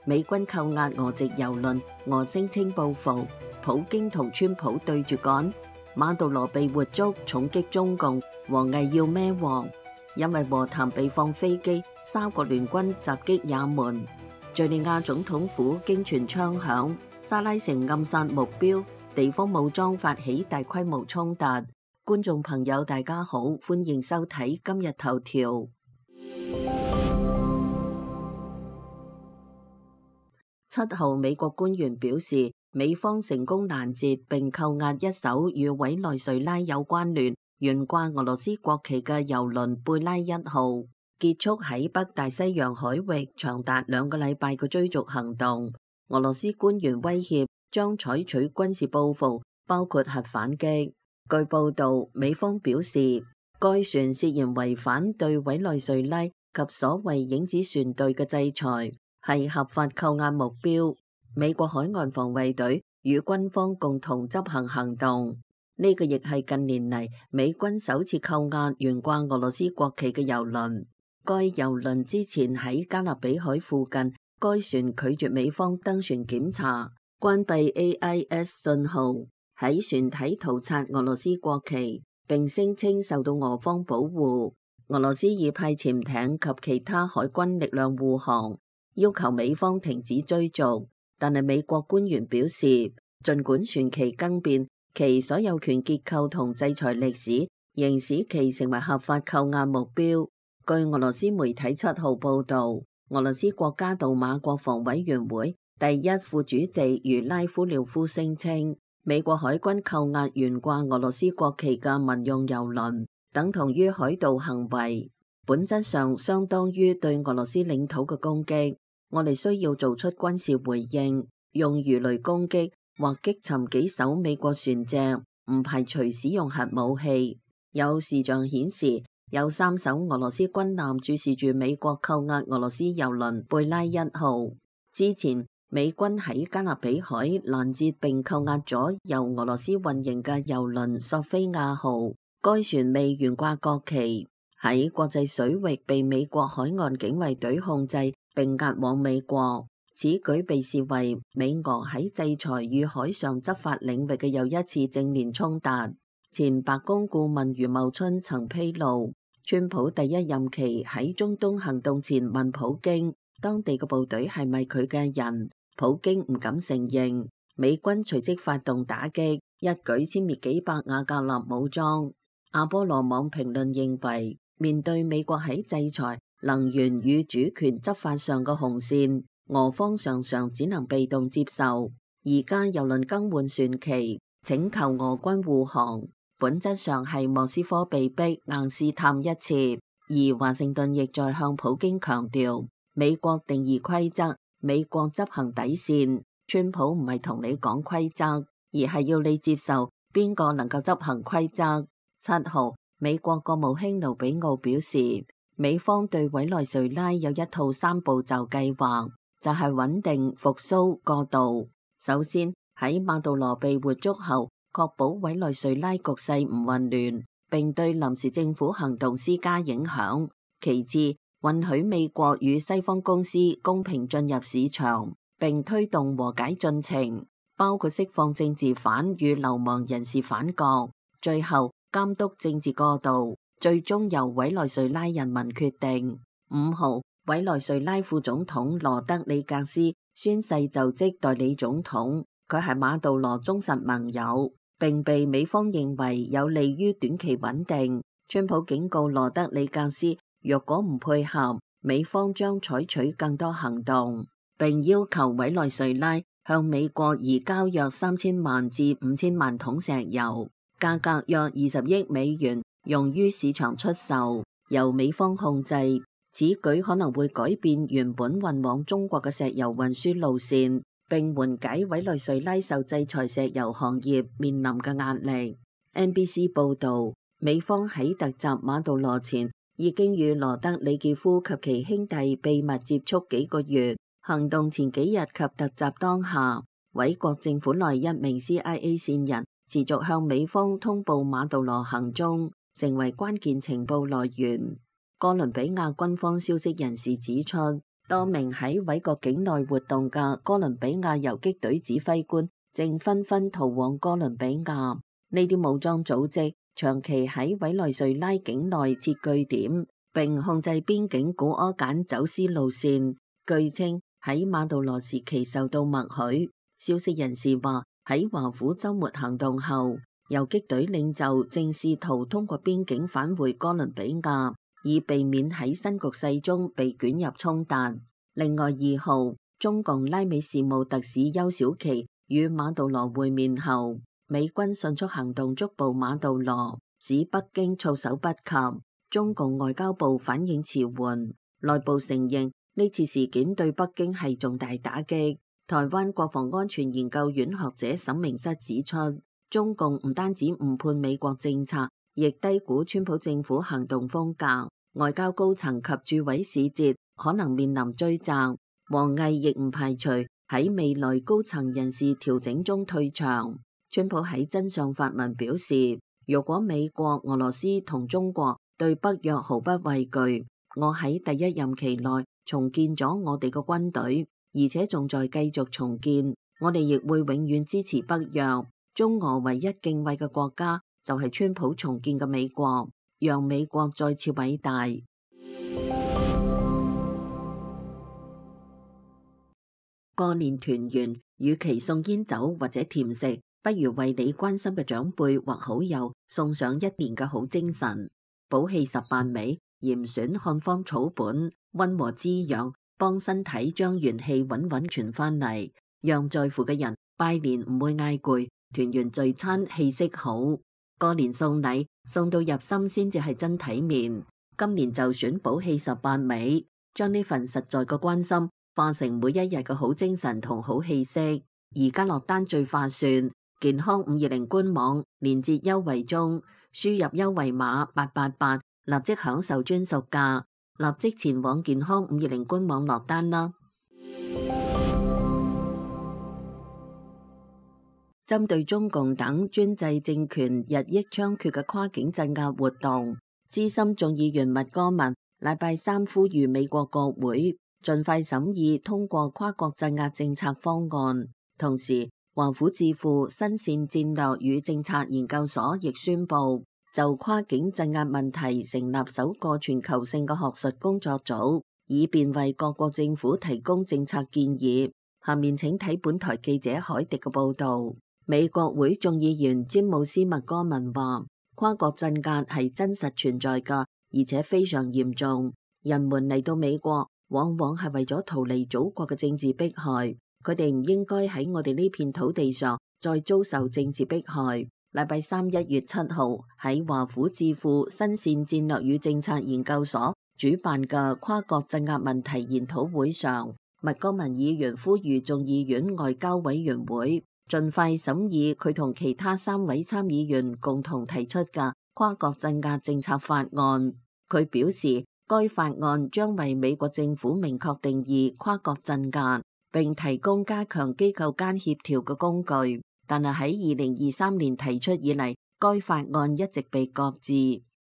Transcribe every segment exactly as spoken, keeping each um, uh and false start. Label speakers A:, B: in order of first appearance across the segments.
A: 美軍扣押俄籍郵輪，俄聲稱報復，普京同川普對住幹，馬杜羅被活捉，重擊中共，王毅要孭鑊，因為和談被放飛機，三國聯軍襲擊也門，敘利亞總統府驚傳槍響，沙拉城暗殺目標，地方武裝發起大規模衝突。觀眾朋友大家好，歡迎收睇今日頭條。七號，美國官員表示，美方成功攔截並扣押一艘與委內瑞拉有關聯、懸掛俄羅斯國旗嘅郵輪貝拉一號，結束喺北大西洋海域長達兩個禮拜嘅追逐行動。俄羅斯官員威脅將採取軍事報復，包括核反擊。據報道，美方表示，該船涉嫌違反對委內瑞拉及所謂影子船隊嘅制裁，係合法扣押目標。美國海岸防衛隊與軍方共同執行行動，呢、這個亦係近年嚟美軍首次扣押懸掛俄羅斯國旗嘅郵輪。該郵輪之前喺加勒比海附近，該船拒絕美方登船檢查，關閉 A I S 信號，喺船體塗擦俄羅斯國旗，並聲稱受到俄方保護。俄羅斯已派潛艇及其他海軍力量護航，要求美方停止追逐。但係美國官員表示，儘管船旗更變，其所有權結構同制裁歷史仍使其成為合法扣押目標。據俄羅斯媒體七號報導，俄羅斯國家杜馬國防委員會第一副主席茹拉夫廖夫聲稱，美國海軍扣押懸掛俄羅斯國旗嘅民用郵輪，等同於海盜行為，本質上相當於對俄羅斯領土嘅攻擊。我哋需要做出軍事回應，用魚雷攻擊或擊沉幾艘美國船隻，唔排除使用核武器。有視像顯示，有三艘俄羅斯軍艦注視住美國扣押俄羅斯郵輪貝拉一號。之前，美軍喺加勒比海攔截並扣押咗由俄羅斯運營嘅郵輪索菲亞號，該船未懸掛國旗，喺國際水域被美國海岸警衛隊控制並押往美國。此舉被視為美俄喺制裁與海上執法領域嘅又一次正面衝突。前白宮顧問余茂春曾披露，川普第一任期喺中東行動前問普京，當地嘅部隊係咪佢嘅人？普京唔敢承認。美軍隨即發動打擊，一舉殲滅幾百瓦格納武裝。阿波羅網評論認為，面對美國喺制裁、能源與主權執法上嘅紅線，俄方常常只能被動接受。而家郵輪更換船旗，請求俄軍護航，本質上係莫斯科被逼硬試探一次。而華盛頓亦在向普京強調，美國定義規則，美國執行底線。川普唔係同你講規則，而係要你接受邊個能夠執行規則。七號，美國國務卿盧比奧表示，美方對委內瑞拉有一套三步驟計劃，就係穩定、復甦、過渡。首先，喺馬杜羅被活捉後，確保委內瑞拉局勢唔混亂，並對臨時政府行動施加影響。其次，允許美國與西方公司公平進入市場，並推動和解進程，包括釋放政治犯與流亡人士返國。最後，監督政治過渡，最終由委內瑞拉人民決定。五號，委內瑞拉副總統羅德里格斯宣誓就職代理總統，佢係馬杜羅忠實盟友，並被美方認為有利於短期穩定。川普警告羅德里格斯，若果唔配合，美方將採取更多行動，並要求委內瑞拉向美國移交約三千萬至五千萬桶石油，價格約二十億美元，用於市場出售，由美方控制。此舉可能會改變原本運往中國嘅石油運輸路線，並緩解委內瑞拉受制裁石油行業面臨嘅壓力。N B C 報導，美方喺突襲馬杜羅前已經與羅德里傑夫及其兄弟秘密接觸幾個月。行動前幾日及突襲當下，委國政府內一名 C I A 線人持續向美方通報馬杜羅行蹤，成為關鍵情報來源。哥倫比亞軍方消息人士指出，多名喺委國境內活動嘅哥倫比亞游擊隊指揮官正紛紛逃往哥倫比亞。呢啲武裝組織長期喺委內瑞拉境內設據點，並控制邊境古柯鹼走私路線。據稱喺馬杜羅時期受到默許。消息人士話，喺華府週末行動後，游擊隊領袖正試圖通過邊境返回哥倫比亞，以避免喺新局勢中被捲入衝突。另外二號，中共拉美事務特使邱小琪與馬杜羅會面後，美軍迅速行動捉捕馬杜羅，使北京措手不及。中共外交部反應遲緩，內部承認呢次事件對北京係重大打擊。台灣國防安全研究院學者沈明室指出，中共唔單止誤判美國政策，亦低估川普政府行動風格。外交高層及駐委使節可能面臨追責。王毅亦唔排除喺未來高層人事調整中退場。川普喺真相發文表示，如果美國、俄羅斯同中國對北約毫不畏懼，我喺第一任期內重建咗我哋嘅軍隊，而且仲在繼續重建。我哋亦會永遠支持北約。中俄唯一敬畏嘅國家就係川普重建嘅美國，讓美國再次偉大。過年團圓，與其送煙酒或者甜食，不如為你關心嘅長輩或好友送上一年嘅好精神。補氣十八味，嚴選漢方草本，溫和滋養，幫身體將元氣穩穩傳翻嚟，讓在乎嘅人拜年唔會嗌攰，團圓聚餐氣息好。過年送禮送到入心先至係真體面。今年就選補氣十八味，將呢份實在嘅關心化成每一日嘅好精神同好氣息。而家落單最划算，健康五二零官網連結優惠中，輸入優惠碼八八八，立即享受專屬價，立即前往健康五二零官網落單啦。針對中共等專制政權日益猖獗嘅跨境鎮壓活動，資深眾議員麥戈文禮拜三呼籲美國國會盡快審議通過跨國鎮壓政策方案。同時，華府智庫新線戰略與政策研究所亦宣布就跨境鎮壓問題成立首個全球性嘅學術工作組，以便為各國政府提供政策建議。下面請睇本台記者海迪嘅報道。美國會眾議員詹姆斯麥戈文話，跨國鎮壓係真實存在㗎，而且非常嚴重。人們嚟到美國往往係為咗逃離祖國嘅政治迫害，佢哋唔應該喺我哋呢片土地上再遭受政治迫害。禮拜三一月七號喺華府智庫新線戰略與政策研究所主辦嘅跨國鎮壓問題研討會上，麥戈文議員呼籲眾議院外交委員會盡快審議佢同其他三位參議員共同提出嘅跨國鎮壓政策法案。佢表示，該法案將為美國政府明確定義跨國鎮壓，並提供加強機構間協調嘅工具。但係喺二零二三年提出以嚟，該法案一直被擱置。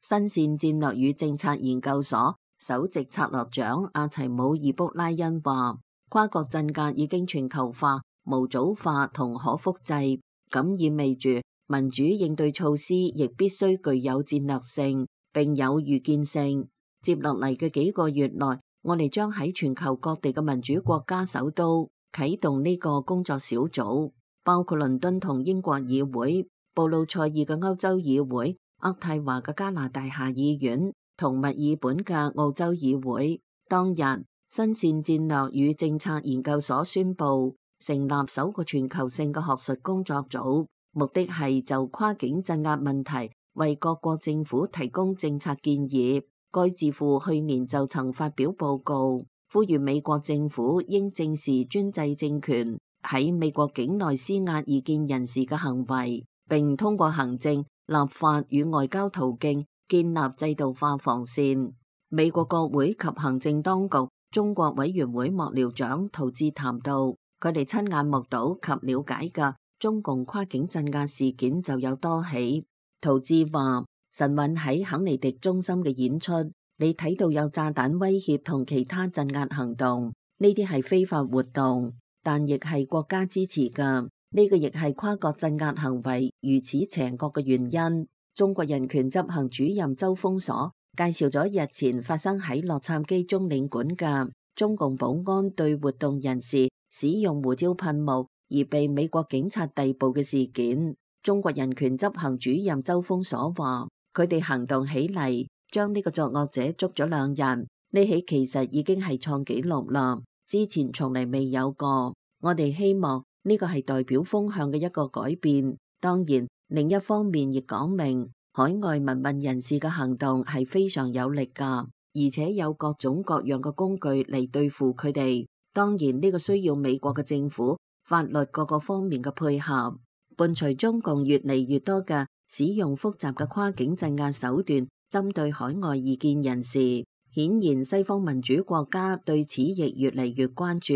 A: 新線戰略與政策研究所首席策略長阿齊姆爾卜拉恩話，跨國鎮壓已經全球化、模組化同可複製，咁意味住民主應對措施亦必須具有戰略性並有預見性。接落嚟嘅幾個月內，我哋將喺全球各地嘅民主國家首都啟動呢個工作小組，包括倫敦同英國議會、布魯塞爾嘅歐洲議會、渥太華嘅加拿大下議院同墨爾本嘅澳洲議會。當日，新線戰略與政策研究所宣布成立首個全球性嘅學術工作組，目的係就跨境鎮壓問題為各國政府提供政策建議。該智庫去年就曾發表報告，呼籲美國政府應正視專制政權喺美國境內施壓異見人士嘅行為，並通過行政、立法與外交途徑建立制度化防線。美國國會及行政當局中國委員會幕僚長陶志談到，佢哋親眼目睹及了解嘅中共跨境鎮壓事件就有多起。陶志話，神韻喺肯尼迪中心嘅演出你睇到有炸彈威脅同其他鎮壓行動，呢啲係非法活動，但亦係國家支持㗎。呢個亦係跨國鎮壓行為如此邪惡嘅原因。中國人權執行主任周鋒鎖介紹咗日前發生喺洛杉磯中領館嘅中共保安對活動人士使用胡椒噴霧而被美國警察逮捕嘅事件。中國人權執行主任周鋒鎖話：佢哋行動起嚟，將呢個作惡者捉咗兩人，呢起其實已經係創紀錄啦，之前從嚟未有過。我哋希望呢個係代表風向嘅一個改變。當然，另一方面亦講明海外民運人士嘅行動係非常有力㗎，而且有各種各樣嘅工具嚟對付佢哋。當然呢個需要美國嘅政府、法律各個方面嘅配合。伴隨中共越嚟越多嘅使用複雜嘅跨境鎮壓手段針對海外異見人士，顯然西方民主國家對此亦越嚟越關注，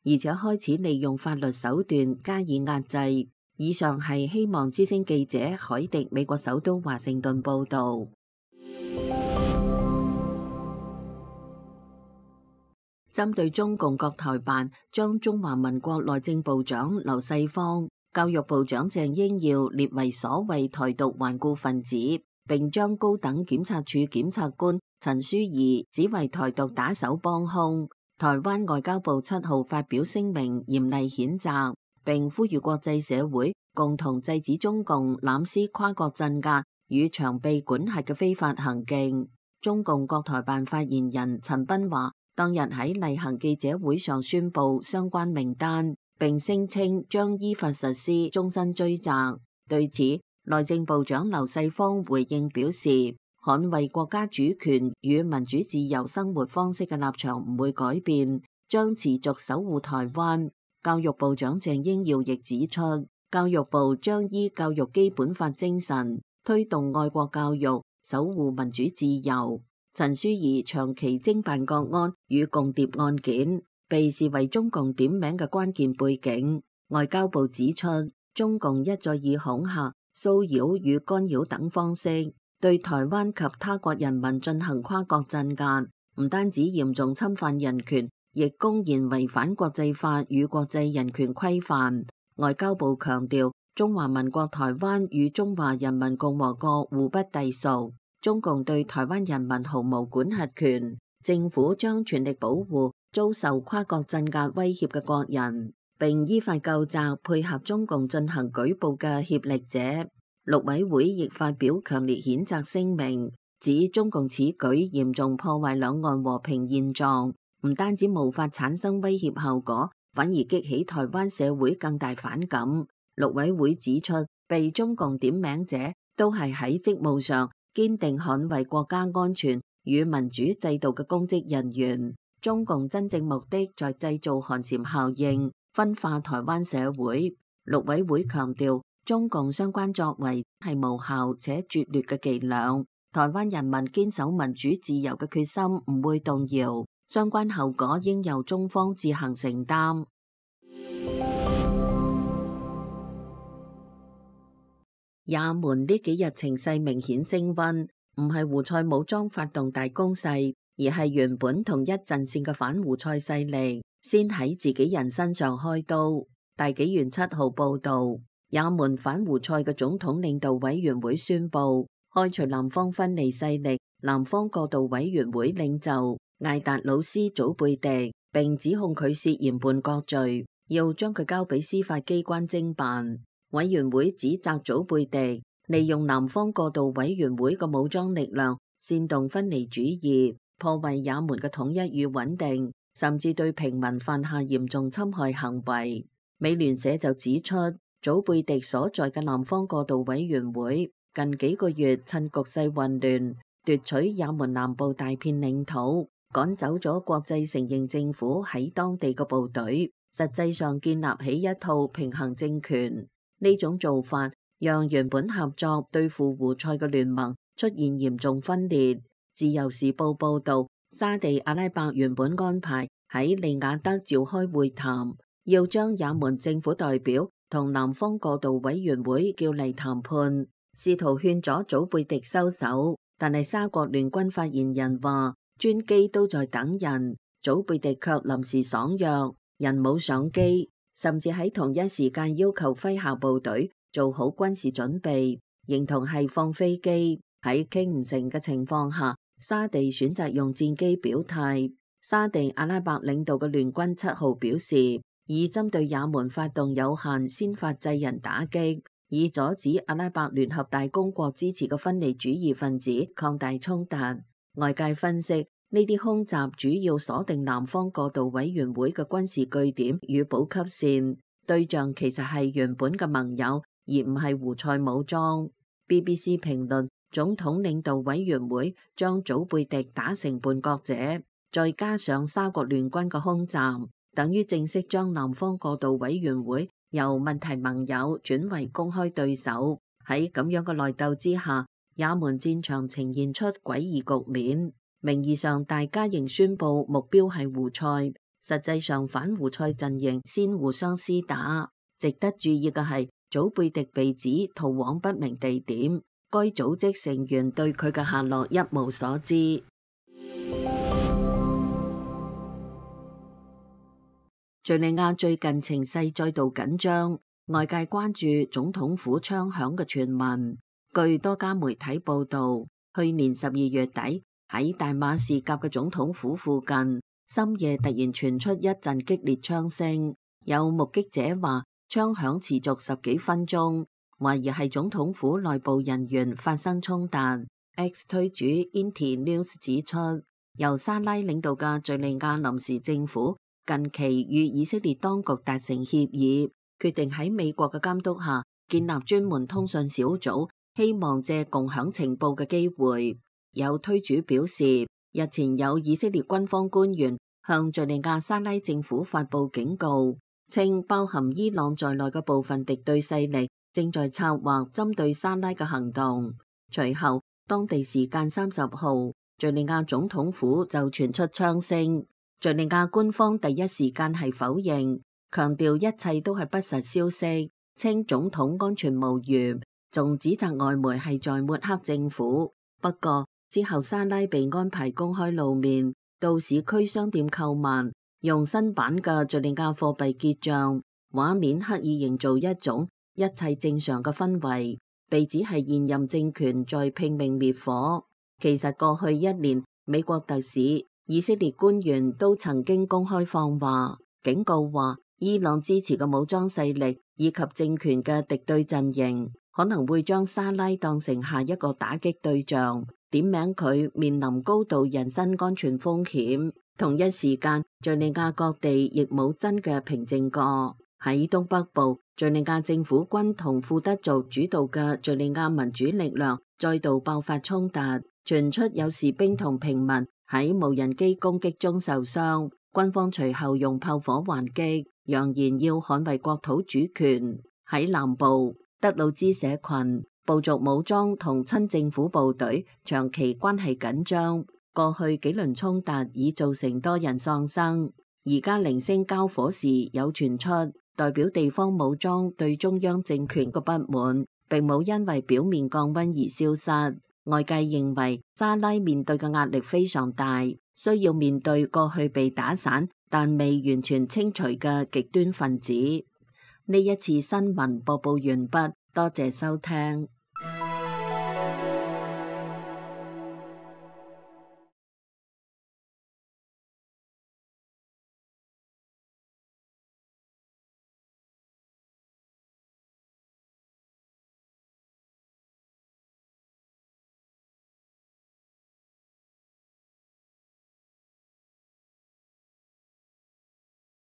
A: 而且開始利用法律手段加以壓制。以上係希望之聲記者海迪美國首都華盛頓報道。針對中共國台辦將中華民國內政部長劉世芳、教育部長鄭英耀列為所謂台獨頑固分子，並將高等檢察署檢察官陳書儀指為台獨打手幫兇，台灣外交部七號發表聲明嚴厲譴責，並呼籲國際社會共同制止中共濫施跨國鎮壓與長臂管轄嘅非法行徑。中共國台辦發言人陳斌話，當日喺例行記者會上宣布相關名單，並聲稱將依法實施終身追責。對此，內政部長劉世芳回應表示，捍衛國家主權與民主自由生活方式嘅立場唔會改變，將持續守護台灣。教育部長鄭英耀亦指出，教育部將依教育基本法精神，推動愛國教育，守護民主自由。陳書儀長期偵辦國安與共諜案件，被視為中共點名嘅關鍵背景。外交部指出，中共一再以恐嚇、騷擾與干擾等方式，對台灣及他國人民進行跨國鎮壓，唔單止嚴重侵犯人權，亦公然違反國際法與國際人權規範。外交部強調，中華民國台灣與中華人民共和國互不隸屬，中共對台灣人民毫無管轄權，政府將全力保護遭受跨國鎮壓威脅嘅國人，並依法究責配合中共進行舉報嘅協力者。陸委會亦發表強烈譴責聲明，指中共此舉嚴重破壞兩岸和平現狀，唔單止無法產生威脅效果，反而激起台灣社會更大反感。陸委會指出，被中共點名者都係喺職務上堅定捍衛國家安全與民主制度嘅公職人員。中共真正目的在製造寒蟬效應，分化台灣社會。陸委會強調，中共相關作為係無效且拙劣嘅伎倆，台灣人民堅守民主自由嘅決心唔會動搖，相關後果應由中方自行承擔。也門呢幾日情勢明顯升溫，唔係胡塞武裝發動大攻勢，而係原本同一陣線嘅反胡塞勢力先喺自己人身上開刀。大紀元七號報道，也門反胡塞嘅總統領導委員會宣布開除南方分離勢力南方過渡委員會領袖艾達魯斯祖貝迪，並指控佢涉嫌叛國罪，要將佢交俾司法機關偵辦。委員會指責祖貝迪利用南方過渡委員會嘅武裝力量煽動分離主義，破壞也門嘅統一與穩定，甚至對平民犯下嚴重侵害行為。美聯社就指出，祖貝迪所在嘅南方過渡委員會近幾個月趁局勢混亂，奪取也門南部大片領土，趕走咗國際承認政府喺當地嘅部隊，實際上建立起一套平衡政權。呢種做法讓原本合作對付胡塞嘅聯盟出現嚴重分裂。自由時報報導，沙地阿拉伯原本安排喺利雅得召開會談，要將也門政府代表同南方過渡委員會叫嚟談判，試圖勸阻祖貝迪收手，但係沙國聯軍發言人話，專機都在等人，祖貝迪卻臨時爽約，人冇上機，甚至喺同一時間要求麾下部隊做好軍事準備，形同係放飛機。喺傾唔成嘅情況下，沙地選擇用戰機表態。沙地阿拉伯領導嘅聯軍七號表示，以針對也門發動有限先發制人打擊，以阻止阿拉伯聯合大公國支持嘅分離主義分子擴大衝突。外界分析，呢啲空襲主要鎖定南方過渡委員會嘅軍事據點與補給線，對象其實係原本嘅盟友，而唔係胡塞武裝。B B C 評論，總統領導委員會將祖貝迪打成叛國者，再加上沙國聯軍嘅空襲，等於正式將南方過渡委員會由問題盟友轉為公開對手。喺咁樣嘅內鬥之下，也門戰場呈現出詭異局面。名義上大家仍宣佈目標係胡塞，實際上反胡塞陣營先互相廝打。值得注意嘅係，祖貝迪被指逃往不明地點，該組織成員對佢嘅下落一無所知。敘利亞最近情勢再度緊張，外界關注總統府槍響嘅傳聞。據多家媒體報道，去年十二月底喺大馬士革嘅總統府附近，深夜突然傳出一陣激烈槍聲，有目擊者話槍響持續十幾分鐘，懷疑係總統府內部人員發生衝突。X 推主 Inti News 指出，由沙拉領導嘅敘利亞臨時政府近期與以色列當局達成協議，決定喺美國嘅監督下建立專門通訊小組，希望借共享情報嘅機會。有推主表示，日前有以色列軍方官員向敘利亞沙拉政府發布警告，稱包含伊朗在內嘅部分敵對勢力正在策劃針對沙拉嘅行動。隨後，當地時間三十號，敘利亞總統府就傳出槍聲。敘利亞官方第一時間係否認，強調一切都係不實消息，稱總統安全無虞，仲指責外媒係在抹黑政府。不過之後沙拉被安排公開露面，到市區商店購物，用新版嘅敘利亞貨幣結賬，畫面刻意營造一種一切正常嘅氛圍，被指係現任政權在拼命滅火。其實過去一年，美國特使、以色列官員都曾經公開放話，警告話伊朗支持嘅武裝勢力以及政權嘅敵對陣營可能會將沙拉當成下一個打擊對象，點名佢面臨高度人身安全風險。同一時間，敘利亞各地亦冇真嘅平靜過。喺東北部，敘利亞政府軍同庫德族主導嘅敘利亞民主力量再度爆發衝突，傳出有士兵同平民喺無人機攻擊中受傷，軍方隨後用炮火還擊，揚言要捍衛國土主權。喺南部，德魯茲社群、部族武裝同親政府部隊長期關係緊張，過去幾輪衝突已造成多人喪生。而家零星交火時有傳出，代表地方武裝對中央政權嘅不滿，並冇因為表面降溫而消失。外界認為沙拉面對嘅壓力非常大，需要面對過去被打散但未完全清除嘅極端分子。呢一次新聞播報完畢，多謝收聽。